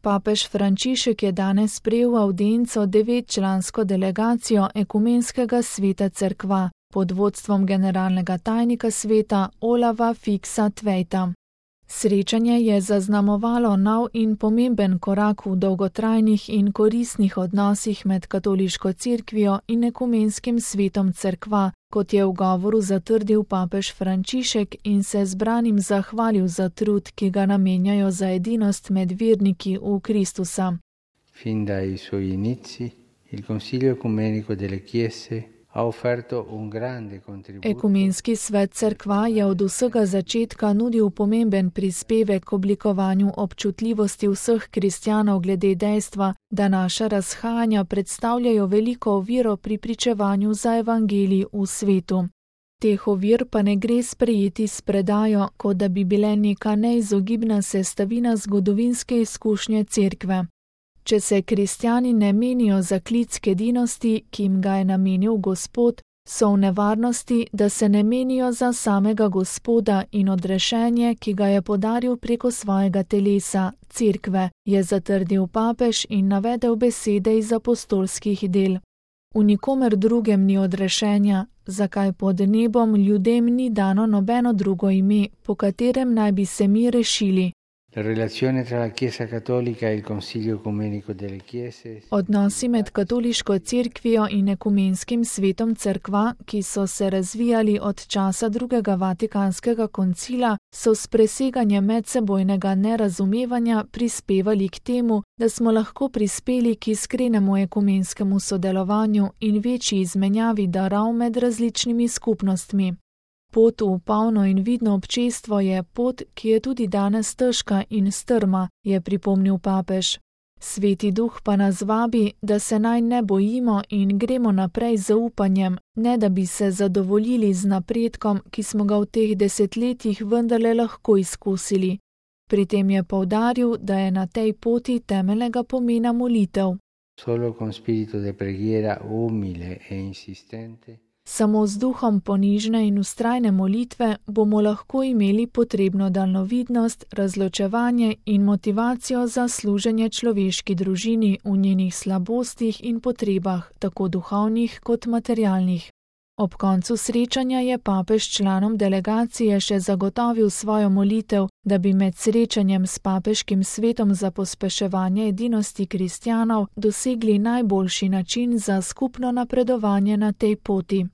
Papež Frančišek je danes sprejel avdienco 9-člansko delegacijo Ekumenskega sveta cerkva pod vodstvom generalnega tajnika sveta Olava Fiksa Tvejta. Srečanje je zaznamovalo nov in pomemben korak v dolgotrajnih in koristnih odnosih med katoliško cerkvijo in Ekumenskim svetom cerkva, kot je v govoru zatrdil papež Frančišek in se zbranim zahvalil za trud, ki ga namenjajo za edinost med verniki v Kristusa. Fin dai suoi inizi, il Consiglio Ecumenico delle Chiese ha offerto un grande contributo. Ekumenski svet cerkva je od vsega začetka nudil pomemben prispevek k oblikovanju občutljivosti vseh kristjanov glede dejstva, da naša razhajanja predstavljajo veliko oviro pri pričevanju za evangelij v svetu. Teh ovir pa ne gre sprejeti s predajo, kot da bi bile neka neizogibna sestavina zgodovinske izkušnje cerkve. Če se kristjani ne menijo za klic k edinosti, ki jim ga je namenil Gospod, so v nevarnosti, da se ne menijo za samega Gospoda in odrešenje, ki ga je podaril preko svojega telesa, cerkve, je zatrdil papež in navedel besede iz apostolskih del. V nikomer drugem ni odrešenja, zakaj pod nebom ljudem ni dano nobeno drugo ime, po katerem naj bi se mi rešili. Odnosi med katoliško cerkvijo in Ekumenskim svetom cerkva, ki so se razvijali od časa drugega Vatikanskega koncila, so s preseganjem medsebojnega nerazumevanja prispevali k temu, da smo lahko prispeli k iskrenemu ekumenskemu sodelovanju in večji izmenjavi darov med različnimi skupnostmi. Pot v polno in vidno občestvo je pot, ki je tudi danes težka in strma, je pripomnil papež. Sveti Duh pa nas vabi, da se naj ne bojimo in gremo naprej z upanjem, ne da bi se zadovoljili z napredkom, ki smo ga v teh desetletjih vendarle lahko izkusili. Pri tem je poudaril, da je na tej poti temeljnega pomena molitev. Solo con spirito de preghiera umile e insistente. Samo z duhom ponižne in vztrajne molitve bomo lahko imeli potrebno daljnovidnost, razločevanje in motivacijo za služenje človeški družini v njenih slabostih in potrebah, tako duhovnih kot materialnih. Ob koncu srečanja je papež članom delegacije še zagotovil svojo molitev, da bi med srečanjem s papeškim svetom za pospeševanje edinosti kristjanov dosegli najboljši način za skupno napredovanje na tej poti.